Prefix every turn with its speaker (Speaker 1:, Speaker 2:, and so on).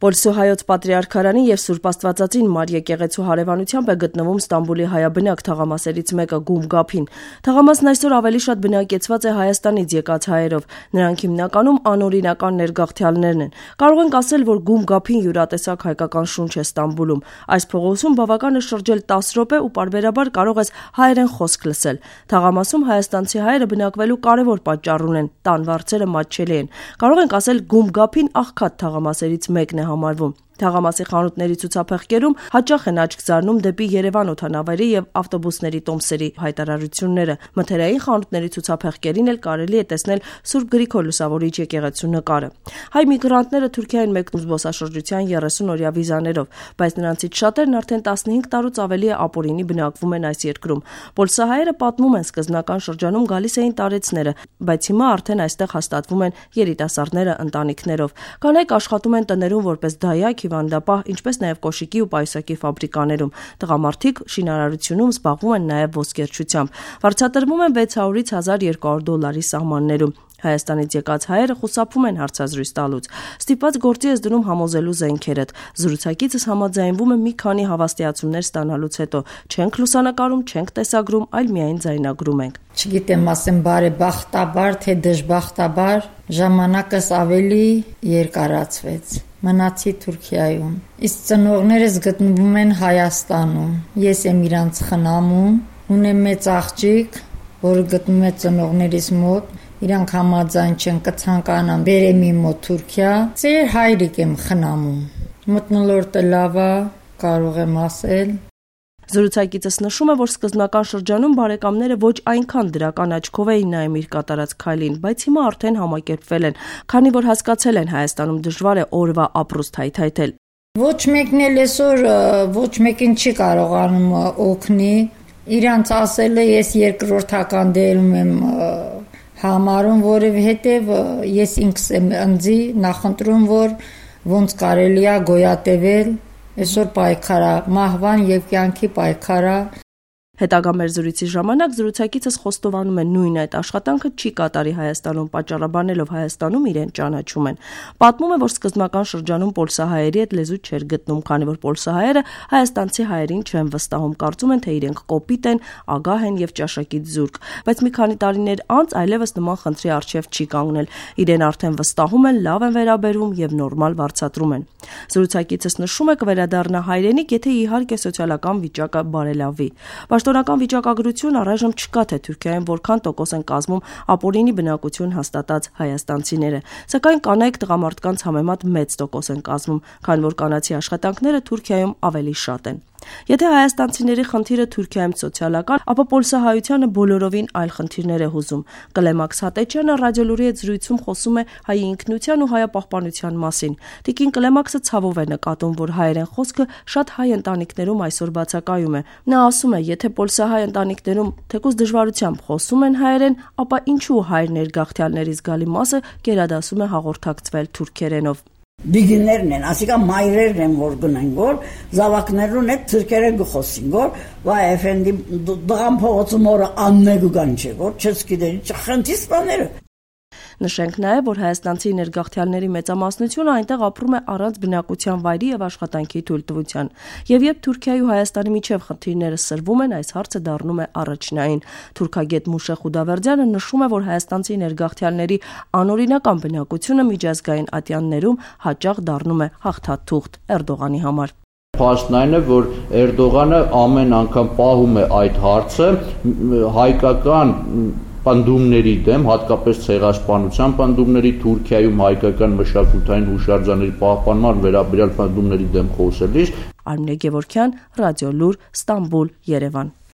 Speaker 1: Պոլսո-հայոց պատրիարքարանի և Սուրբ Աստվածածին Մարիա եկեղեցու հարևանությամբ է գտնվում Ստամբուլի հայաբնակ թաղամասերից մեկը Գում Գափին։ Թաղամասն այսօր ավելի շատ բնակեցված է Հայաստանից եկած հայերով։ Նրանք հիմնականում անօրինական ներգաղթյալներն են։ Կարող ենք ասել, որ Գում Գափին յուրատեսակ հայկական շունչ է Ստամբուլում։ Այս փողոցում բավական է շրջել 10 րոպե ու պարբերաբար կարող ես հայերեն խոսք լսել։ Թաղամասում հայաստանցի հայերը բնակվելու կարևոր պատճառ ունեն՝ տան վարձերը մատչելի են։ Կարող ենք ասել Գում Գափին աղքատ թաղամասերից մեկն է համարվում։ Թաղամասի խանութների ցուցափեղկերում հաճախ են աչք զարնում դեպի Երևան օդանավերի եւ ավտոբուսների տոմսերի հայտարարությունները։ Մթերային խանութների ցուցափեղկերին էլ կարելի է տեսնել Սուրբ Գրիգոր Լուսավորիչ եկեղեցու նկարը։ Հայ միգրանտները Թուրքիայում մեկնում զբոսաշրջության 30-օրյա վիզաներով, բայց նրանցից շատերն արդեն 15 տարուց ավելի է ապօրինի բնակվում են այս երկրում։ Պոլսահայերը պատմում են, սկզբնական շրջանում գալիս էին տարեցները, բայց հիմա արդեն այստեղ հաստատվում են երիտասարդները ընտանիքներով։ Կանայք աշխատում են տներում որպես դայակ, հիվանդապահ, ինչպես նաև կոշիկի ու պայուսակի ֆաբրիկաներում։ Տղամարդիկ շինարարությունում զբաղվում են նաև ոսկերչությամբ։ Վարձատրվում են $600-ից $1200 սահմաններում։ Հայաստանից եկած հայերը խուսափում են հարցազրույց տալուց։ Ստիպված գործի ես դնում համոզելու զենքերդ։ Զրուցակիցս համաձայնվում է մի քանի հավաստիացումներ ստանալուց հետո։ Չենք լուսանկարում, չենք տեսագրում, այլ միայն ձայնագրում ենք։
Speaker 2: Չգիտեմ, ասեմ բարեբախտաբար, թե դժբախտաբար, ժամանակս ավելի երկարացվեց։ Մնացի Թուրքիայում։ Իսկ ծնողներս գտնվում են Հայաստանում։ Ես եմ իրանց խնամում, ունեմ մեծ աղջիկ, որը գտնվում է ծնողներիս մոտ։ Իրանք համաձայն չեն, կցանկանան բերեմ իմ մոտ Թուրքիա։ Ծեր հայրիկ եմ խնամում։ Մթնոլորտը լավ է, կարող եմ ասել։
Speaker 1: Զրուցակիցս նշում է, որ սկզբնական շրջանում բարեկամները ոչ այնքան դրական աչքով էին նայում իր կատարած քայլին, բայց հիմա արդեն համակերպվել են, քանի որ հասկացել են Հայաստանում դժվար է օրվա ապրուստ հայթայթել։
Speaker 2: Ոչ մեկն էլ այսօր ոչ մեկին չի կարողանում օգնի։ Իրանց ասել է ես երկրորդական դերում եմ համարում, որովհետև ես ինքս եմ ընձի նախընտրում, որ ոնց կարելի է գոյատևել։ Այսօր պայքարա, մահվան և կյանքի պայքարա։
Speaker 1: Հետագա մեր զրույցի ժամանակ զրուցակիցս խոստովանում է նույն այդ աշխատանքը չի կատարի Հայաստանում, պատճառաբանելով Հայաստանում իրեն ճանաչում են։ Պատմում է, որ սկզբնական շրջանում պոլսահայերի հետ լեզու չէր գտնում, քանի որ պոլսահայերը հայաստանցի հայերին չեն վստահում, կարծում են, թե իրենք կոպիտ են, ագահ են և ճաշակից զուրկ։ Բայց մի քանի տարիներ անց այլևս նման խնդրի առջև չի կանգնել։ Իրեն արդեն վստահում են, լավ են վերաբերվում և նորմալ վարձատրում են։ Զրուցակիցս նշում է կվերադառնա հայրենիք, եթե իհարկե սոցիալական վիճակը բարելավի։ Պաշտոնական վիճակագրություն առայժմ չկա, թե Թուրքիայում որքան տոկոս են կազմում ապօրինի բնակություն հաստատած հայաստանցիները, սակայն կանայք տղամարդկանց համեմատ մեծ տոկոս են կազմում, քանի որ կանացի աշխատանքները Թուրքիայում ավելի շատ են։ Եթե հայաստանցիների խնդիրը Թուրքիայում սոցիալական, ապա պոլսահայությանը բոլորովին այլ խնդիրներ է հուզում։ Կլեմաքս Հատեչյանը ռադիոլուրի հետ զրույցում խոսում է հայ ինքնության ու հայապահպանության մասին։ Տիկին Կլեմաքսը ցավով է նկատում, որ հայերեն խոսքը շատ հայ ընտանիքներում այսօր բացակայում է։ Նա ասում է, եթե պոլսահայ ընտանիքներում թեկուզ դժվարությամբ խոսում են հայերեն, ապա ինչու հայ ներգաղթյալների զգալի մասը գերադասում է հաղորդակցվել թուրքերենով։
Speaker 3: Դիգիներն են, ասիկա մայրերն են, որ գնեն, որ զավակներուն հետ թուրքերեն գխոսին, որ վայ էֆենդի դղան փողոցում օրը աննեգու գան չէ, որ չես գիտերի չխնդի սպաները։
Speaker 1: Նշենք նաև, որ հայաստանցի ներգաղթյալների մեծամասնությունը այնտեղ ապրում է առանց բնակության վայրի եւ աշխատանքի թույլտվության։ Եվ երբ Թուրքիայի ու Հայաստանի միջև խնդիրները սրվում են, այս հարցը դառնում է առաջնային։ Թուրքագետ Մուշե Խուդավերդյանը նշում է, որ հայաստանցի ներգաղթյալների անօրինական բնակությունը միջազգային ատյաններում հաճախ դառնում է հաղթաթուղթ Էրդողանի համար։
Speaker 4: Փաստն այն է, որ Էրդողանը ամեն անգամ պահում է այդ հարցը հայկական պնդումների դեմ, հատկապես ցեղասպանության պնդումների, Թուրքիայում հայկական մշակութային հուշարձանների պահպանման վերաբերյալ պնդումների դեմ խոսելիս։
Speaker 1: Արմինե Գևորգյան, Ռադիոլուր, Ստամբուլ, Երևան։